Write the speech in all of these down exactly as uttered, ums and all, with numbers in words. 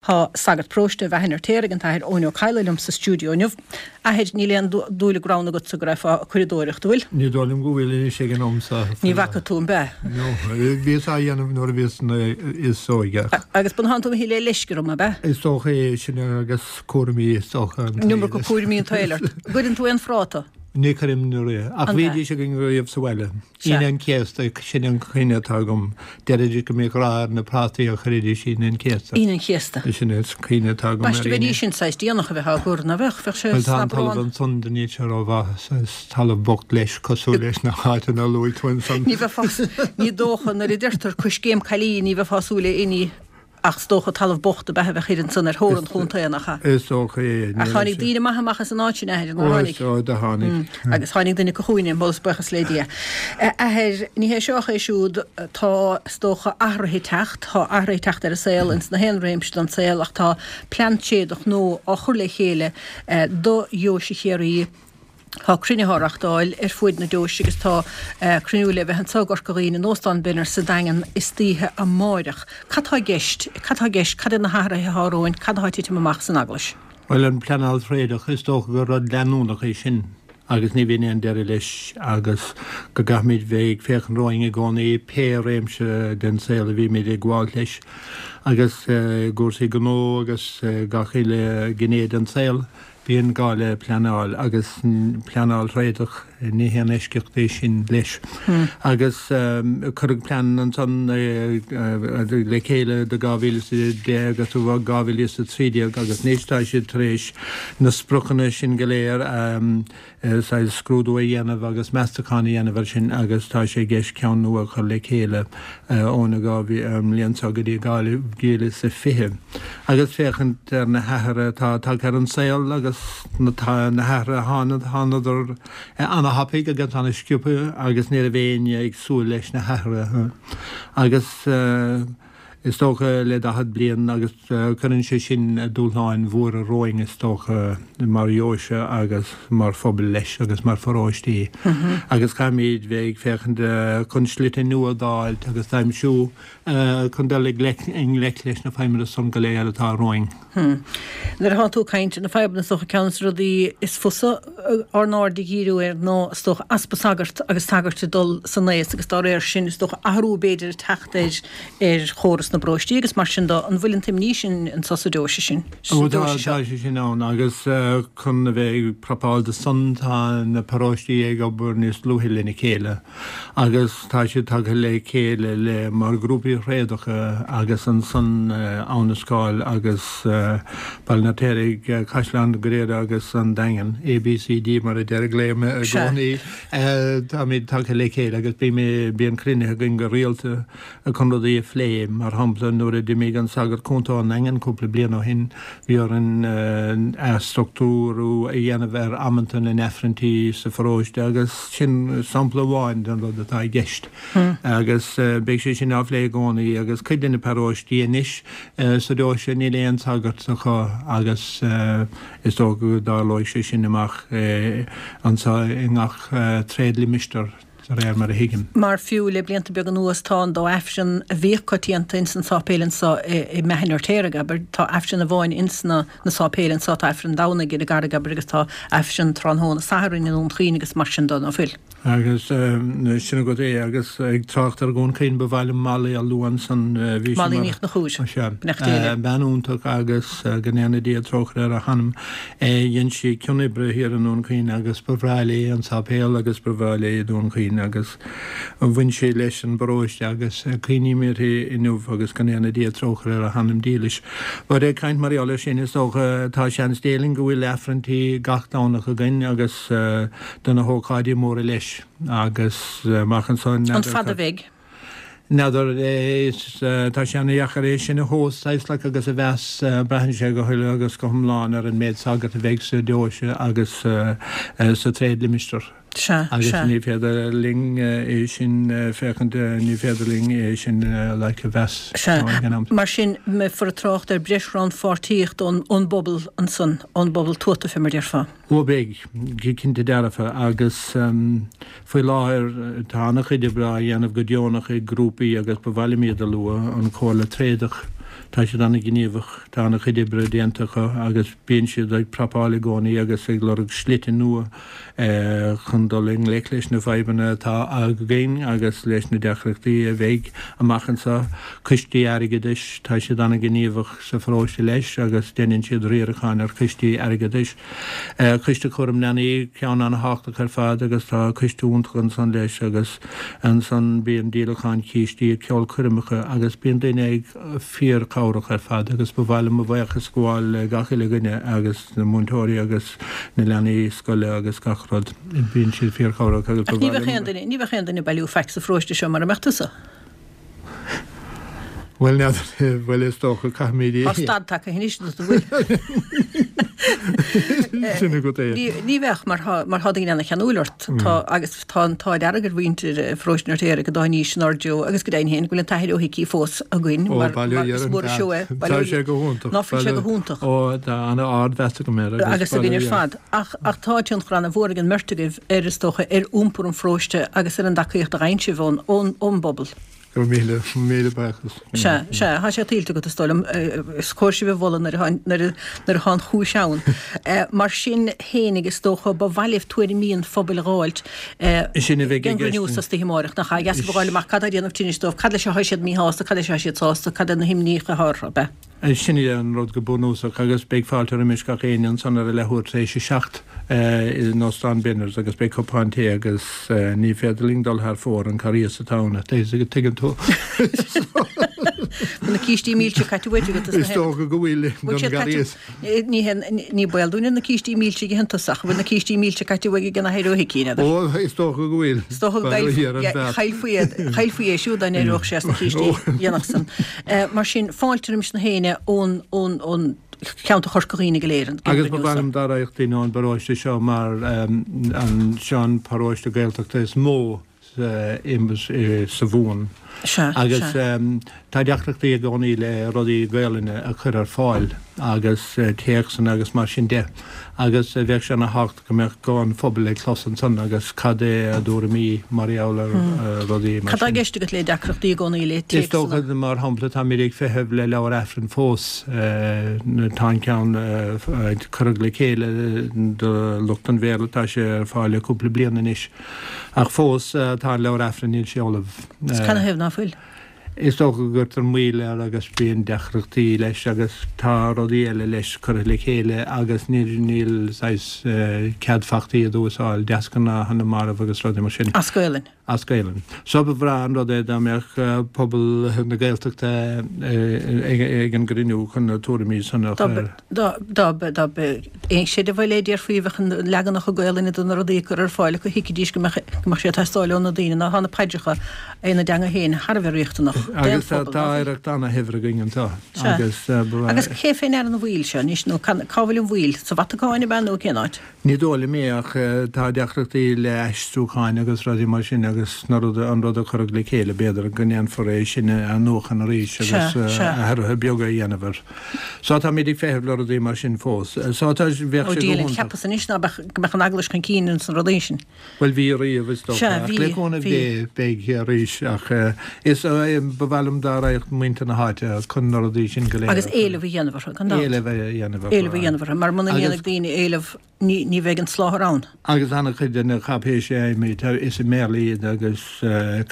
Tá sagart paróiste Bheatha an Fheirtéaraigh, an tAthair Eoin Ó Cadhla, liom sa stiúideo inniu. Athair, níl aon dúil i gcrann agatsa go raibh ag curadóireacht, an bhfuil? Ní dóigh liom go bhfuil anois ag an am seo. Ní bhfaca tú, an b'ea? No, bhíos á dhéanamh nuair a bhíos níos óige. Agus b'in tú le leisce orm, ab ea? Is dócha é sin agus cúraimí is dócha. An iomarca cúraimí an tsaoil ort. Gcuireann tú aon phráta? Ní chuirim riamh, ach bhídís againn riamh sa bhaile. Aoine an Chéasta, sin an chuimhne atá agam. Deiridís go mbíodh rath ar na prátaí a chuiridís Aoine an Chéasta. Aoine an Chéasta. Sin an chuimhne atá agam ar B'aisteach bheidís sin saghas déanach a bheith á gcur, ná bheadh? Bheadh sé Bhuel tá an talamh ansan níl sé rómhaith, is talamh bocht leis cosúil leis na háiteanna a luaigh tú ansan. Ní bheifeá, ní dócha nuair a deirtear coiscéim caillí ní bheifeá ag súil le inní Ach is dócha talamh bocht ab ea a bheadh thiar ansan ar thóir an chontae, nach ea? Is dócha é. Ach tháinig daoine maithe amach as an áit sin, a Athair, nár tháinig? Ó, do tháinig. Agus tháinig duine acu chugainne, moladh is buíochas le Dia. A Athair, ní hé seo ach é siúd, tá, is dócha, athruithe ag teacht, tá athruithe ag teacht ar an saol, ins na haon réimse den saol, ach tá plean tréadach nua á chur le chéile do Dheoise Chiarraí, Tá cruinnithe á reachtáil ar fuaid na deoise agus tá cruinniú le bheith anseo i gCorca Dhuibhne in Óstán Bhenner sa Daingean istoíche amáireach. Cad tá i gceist? Cad tá i gceist? Cad iad na hathruithe atá romhainn? Cad atá ag titim amach san Eaglais? Bhuel, an pleanáil thréadach, is dócha gur rud leanúnach é sin agus ní bhíonn aon deireadh leis agus go gcaithfimid bheith ag féachaint romhainn i gcónaí pé réimse den saol a bhímid ag gabháilt leis agus i gcúrsaí gnó agus gach uile ghné den saol. Bíonn gá le pleanáil agus pleanáil thréadach, ní haon eisceacht é sin leis. Agus cuireadh plean ansan le chéile do dhá mhíle is a deich agus do dhá mhíle is a trí déag agus anois tá siad tar éis na spriocanna sin go léir a saghas scrúdú a dhéanamh agus meastachán a dhéanamh air sin agus tá sé i gceist ceann nua a chur le chéile ón mbliain seo go dtí dhá mhíle is a fiche agus féachaint ar na hathruithe atá tagtha ar an saol agus na hathruithe a tháinig, thánadar ana-thapaidh agus ana-sciobtha agus ní raibh éinne ag súil leis na hathruithe agus is dócha le daichead bliain agus cuireann sé sin dúshláin mhóra romhainn is dócha mar dheoise agus mar phobal leis agus mar pharóistí agus caithfimid bheith ag féachaint chun slite nua d'fháilt agus d'aimsiú chun dul i ngleic leis na fadhbanna san go léir atá romhainn. Nuair atá tú ag caint ar na fadhbanna is dócha ceann de na rudaí is fusa ár n-aird a dhíriú air ná is dócha easpa sagart agus sagairt ag dul san aos agus dá réir sin is dócha athrú b'fhéidir ag teacht ar ar chóras na bparóistí agus mar sin de. An bhfuil an t-imní sin anso sa deoise sin? Ó tá, tá sé sin ann agus chun a bheith ag prapáil do san tá na paróistí ag obair níos dlúithe lena chéile agus tá siad tagtha le chéile le mar ghrúpaí thréadacha agus ansan Abha na Scáil agus Baile an Fheirtéaraigh, Caisleán Ghriaire agus an Daingean, ABCD mar a deir glaoim i gcónaí. Táimid tagtha le chéile agus bíonn cruinnithe againn go rialta chun rudaí a phlé. Mar shampla, nuair a d'imigh an sagart cúnta ón nDaingean cúpla bliain ó shin, bhí orainn athstruchtúrú a dhéanamh ar amanta na nAifrinntí sa pharóiste agus sin sampla amháin den rud atá i gceist. Agus beidh sé sin á phlé i gcónaí agus cuid de na paróistí anois sa deoise níl aon sagart acu agus is dócha go dtarlóidh sé sin amach anseo i ngach tréadlimistéar de réir mar a thuigim. Mar fiú le blianta beaga anuas tá an dá Aifreann a bhíodh coitianta ins an sáipéal anso i mBeatha an Fheirtéaraigh, abair, tá Aifreann amháin ins na na sáipéil anso, tá Aifreann Domhnaigh ar an gCarraig, abair, agus tá Aifreann tráthnóna Sathairn i nDún Chaoin agus mar sin de, ná fuil? Agus sin agat é. Agus ag trácht ar Dhún Chaoin, ba mhaith liom Molly a lua ansan. Bhí sí Molly mar. Ní Chonchúir, Ó sea. Beannacht Dé léi. Bean iontach agus go ndéana Dia trócaire ar a hanam. Dhein sí cion oibre thiar i nDún Chaoin agus ba bhreá léi an sáipéal agus ba bhreá léi Dún Chaoin agus bhain sí leis an bparóiste agus cuimhním uirthi inniu agus go ndéana Dia trócaire ar a hanam dílis. But ag caint mar gheall air sin, is dócha, tá seans Dé linn go bhfuil Aifrinntí gach Domhnach againn agus do na hócáidí móra leis agus amach anso An n'fheadar fad a cad. bheidh? N'fheadar, is tá sé ana-dheacair é sin a thomhas saghas like agus a mheas, braitheann sé go huile agus go hiomlán ar an méid sagart a bheidh sa deoise agus sa tréadlimistéar. Sea, Agus sea. ní féidir linn é sin féachaint, ní féidir linn é sin like a mheas Sea. ag an am. Mar sin, mbeifear ag trácht ar breis rannpháirtíocht ón ón bpobal ansan, ón bpobal tuata fé mar déarfá. Ó beidh, go cinnte dearfa, agus faoi láthair tá an-chuid oibre á dhéanamh go deonach ag grúpaí agus ba mhaith liom iad a lua, an Chomhairle Tréadach, Tá siad an-ghníomhach, tá an-chuid oibre déanta acu agus bíonn siad ag prapáil i gcónaí agus ag lorg slite nua chun dul i ngleic leis na fadhbanna atá againn agus leis na deacrachtaí a bheidh amach anseo. Coistí airgeadais, tá siad an-ghníomhach sa pharóiste leis agus déanann siad riarachán ar choistí airgeadais. Coiste Cúram Leanaí, ceann an-thábhachtach ar fad agus tá coiste iontach ansan leis agus ansan bíonn díolachán cístí, ceolchoirmeacha agus bíonn daoine ag fíorchabhrach ar fad agus ba mhaith liom mo bhuíochas a ghabháil le gach uile dhuine agus na múinteoirí agus na leanaí scoile agus gach rud. Bíonn siad fíorchabhrach agus ba Ach ní mhaith bheadh aon liom. duine, ní bheadh aon duine ag bailiú faic sa pharóiste seo mura mbeadh tusa. Bhuel, n'fheadar, bhuel is dócha caithfimid Tá stad tagtha anois do do bhfuil. Sin agat é. Ní, ní bheadh mar thá, mar thá daoine ana-cheanúil ort. Tá, agus tá an t-ádh dearg ar mhuintir pharóiste an Fheirtéaraigh go dtáinig san Ard Joe agus go deimhin féin go bhfuil an tAthair Ó hIcí fós againn Ó, mar, bail ó mar Dhia is ar an mór an seó é. bhfear. Bail Tá ó sé go hiontach. Ná fuil sé go hiontach. Ó, tá an-ardmheas agam air agus agus bail ó againn ar Dhia. fad. Ach, ach tá tionchar ana-mhór ag an mbeirt agaibh ar is dócha ar iompar an pharóiste agus ar an dtacaíocht a fhaigheann sibh ón, ón, ón bpobal. Go raibh míle, míle buíochas. Sea, sea, tá sé tuillte agat is dóigh liom, is cóir sibh a mholadh nuair atá, nuair a, nuair atá an chúis ann. Mar sin fhéinig is dócha ba mhaith libh tuairimí an phobail a dh'fháilt Sin a bheidh i den gceist. gcruinniú sa oíche amárach, nach ea? Dheas a fháil amach cad tá ag déanamh tinnis dóibh, cad leis atá siad míshásta, cad leis atá siad sásta, cad é na himníocha atá orthu, ab ea? Sin é an rud go bunúsach agus beidh fáilte roimis gach éinne ansan ar a leathuair tar éis a seacht in Óstán Benners agus beidh cupán tae agus ní féidir linn dul thar fóir an corraíos atá ann, tuigeann tú. Tá na cístí milse caite uait agat is na Is dócha go bhfuil Bhfuil don siad caite gcorraíos. ní hé ní baol dúinne na cístí milse ag an tosach, bhfuil na cístí milse caite uaidh ag an Athair Ó hIcí, n'fheadar. Ó, is dócha go bhfuil. Is dócha go Bail ó Dhia ar an bhfear. chaillfí iad, chaillfí é siúd dá n-éireodh sé as na cístí dhéanach san. Mar sin, fáilte roimis na héinne ón ón ón cheantar Chorca Dhuibhne go léir, an Agus ba gcruinniú mhaith seo. liom dá raghadh daoine ón bparóiste seo mar an seo an paróiste Gaeltachta is mó sa Mhumhain. Sea, Agus sea. tá deacrachtaí i gcónaí le rudaí Gaelainne a chur ar fáil agus téacsanna agus mar sin de. Agus bheadh sé ana-thábhachtach go mbeadh guth an phobail ag clos ansan agus cad é a dtuairimí mar gheall ar rudaí mar Cad tá i sin. gceist agat le deacrachtaí i gcónaí le Is téacsanna? dócha mar shampla táimid ag feitheamh le leabhar Aifrinn fós, tá an ceann curtha le chéile do lucht an Bhéarla, tá sé ar fáil le cúpla bliain anois. Ach fós tá an leabhar Aifrinn níl sé ullamh. Is canathaobh ná fuil? Is dócha go gcuirtear moill air agus bíonn deacrachtaí leis agus tá rudaí eile leis curtha le chéile agus níl níl saghas cead fachta iad a úsáid, deasghnátha na marbh agus rudaí mar sin. As Gaelainn. As Gaelainn. So ba bhreá an rud é dá mbeadh pobal na Gaeltachta ag an gcruinniú chun na tuairimí san a chur. Dá dá dá aon seideamh le déarfaí bheadh an leaganacha Gaelainne de na rudaí curtha ar fáil acu thuigfidís go mbeadh go mbeadh sé ag teastáil ó na daoine ná tá na paidreacha ina dteanga féin thar a bheith riachtanach d'aon Agus tá phobal, tá ná fuil? oidhreacht ana-shaibhir againn anseo Sea. agus Agus cé fé ndeara an mhoill seo anois nó cá bhfuil an mhoill? Sa Vatacáin ab ea nó cén áit? Ní dóigh liom é ach tá deacrachtaí le aistriúcháin agus rudaí mar sin agus na rud an rud a cuireadh le chéile b'fhéidir go ndéanfar é sin a athnuachan arís agus athruithe beaga a dhéanamh air. So táimid ag feitheamh le rudaí mar sin fós. So tá bheadh Ó sé go Dia linn, hiontach. cheapas anois ná beadh go mbeadh an eaglais chun cinn ins na rudaí sin. Bhuel bhí riamh is dócha Sea, ach bhí, le cúnamh bhí. Dé beidh arís ach is ba mhaith liom dá raghadh muintir na háite chun na rudaí sin go léir Agus a chur. éileamh a dhéanamh orthu, gan dabht. Éileamh a dhéanamh orthu. Éileamh a dhéanamh orthu, mar muna Agus ndéanfaidh daoine éileamh ní ní bheidh an soláthar ann. Agus an-chuid de na cáipéisí a fhaighimid, is i mBéarla iad agus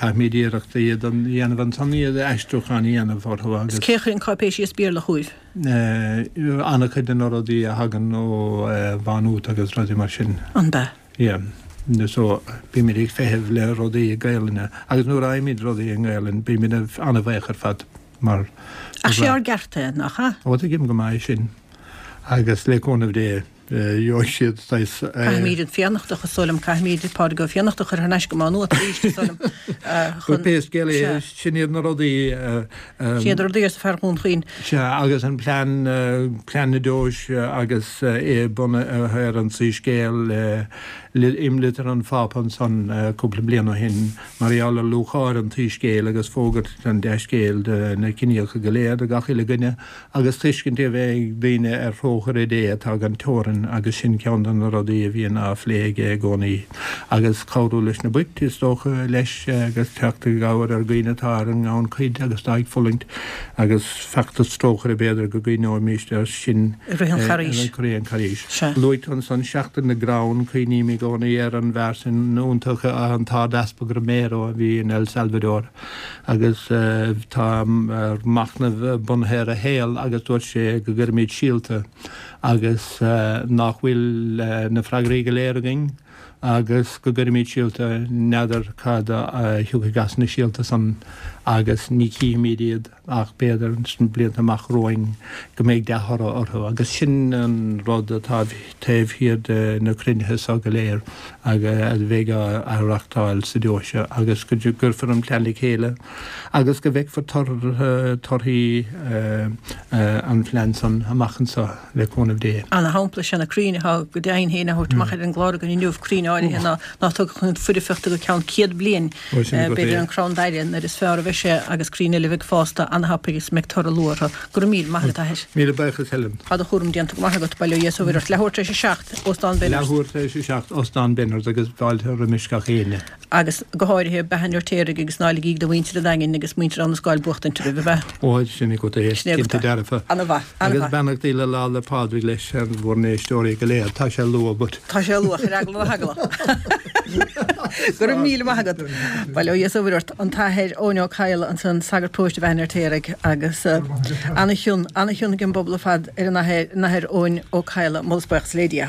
caithfimid iarracht a dhéanamh ansan iad aistriúchán a dhéanamh orthu Is agus. cé a chuireann cáipéisí as Béarla chugaibh? An-chuid de na rudaí a thagann ó Mhá Nuad agus rudaí mar sin. An bea? Yeah. So bímid ag feitheamh le rudaí i Gaelainne agus nuair a fhaighimid rudaí i nGaelainn bímid an-bhuíoch ar fad mar. Ach sé ár gceart é, nach ea? Ó tuigim go maith sin agus le cúnamh Dé gheobhaidh siad saghas. Caithfimid an Fiannachtach, is dóigh liom, caithfimid Pádraig Ó Fiannachta a chur thar n-ais go Má Nuat arís, is dóigh liom, Chun. chun. Pé scéal é, Sea. sin iad na rudaí. Sin iad na rudaí, arsa fear Dhún Chaoin. Sea, agus an plean, plean na deoise agus é bunaithe ar an Soiscéal le Imlitir an Phápa ansan cúpla bliain ó shin mar gheall ar lúcháir an tSoiscéil agus fógairt an dea-scéil do na ciníocha go léir, do gach uile dhuine, agus tuiscint a bheith ag daoine ar thrócaire Dé atá gan teorainn agus sin ceann de na rudaí a bhíonn á phlé aige i gcónaí. Agus cabhrú leis na boicht, is dócha, leis agus teacht i gcabhair ar dhaoine atá ar an ngannchuid agus atá ag fulaingt agus feachtas trócaire b'fhéidir go gcuimhneoimíst air sin I rith an Charghais. I rith an Charghais. Luaigh tú ansan Seachtain na gCrann, cuimhním i gcónaí ar an bhfear sin iontach, an tArd-Easpag Romero a bhí in El Salvador agus tá machnamh bunaithe ar a shaol agus dúirt sé go gcuirfimid síolta agus nach bhfuil na freagraí go léir againn agus go gcuirfimid síolta, n'fheadar cad a thiocfaidh as na síolta san agus ní chífimid iad ach b'fhéidir sna blianta amach romhainn go mbeidh dea-thoradh orthu agus sin an rud atá taobh thiar de na cruinnithe seo go léir a bheidh á reachtáil sa deoise agus go gcuirfear an plean le chéile agus go bhfeicfear torthaí an phlean san amach anseo le cúnamh Dé. Ana-shampla is ea na crainn atá go deimhin féin á thabhairt amach ar an gclár againn inniu, crainn áirithe ná ná tógfadh chun foirfeachta go ceann céad bliain, b'fhéidir an crann daire nuair is fearr a bheidh sé agus crainn eile a bheidh fásta ana-thapaidh is a mbeidh toradh luath orthu. Go raibh míle maith agat, a Athair. Míle buíochas, Helen. Tá do chúram déanta go maith agat, bail ó Dhia is ó Mhuire ort. Leathuair tar éis a seacht, Óstán Benners. Leathuair tar éis a seacht, Óstán Benners agus fáilte roimis gach éinne. Agus go háirithe Beatha an Fheirtéaraigh agus ná ligigí do mhuintir an Daingin agus muintir Abha na Scáil buachtaint oraibh, ab ea? Ó, sin agat é, Sin agat cinnte é. dearfa. Ana-mhaith, Agus ana-mhaith. beannachtaí le Lá 'le Pádraig leis ar bhur n-éisteoirí go léir. Tá sé luath, but. Tá sé luath, ar eagla na heagla. Go raibh míle maith agat. Bail ó Dhia is ó Mhuire ort. An tAthair Eoin Ó Cadhla ansan, sagart paróiste Bheatha an Fheirtéaraigh agus ana-chion, ana-chion ag an bpobal ar fad ar an Athair, an Athair Eoin Ó Cadhla. Moladh is buíochas le Dia.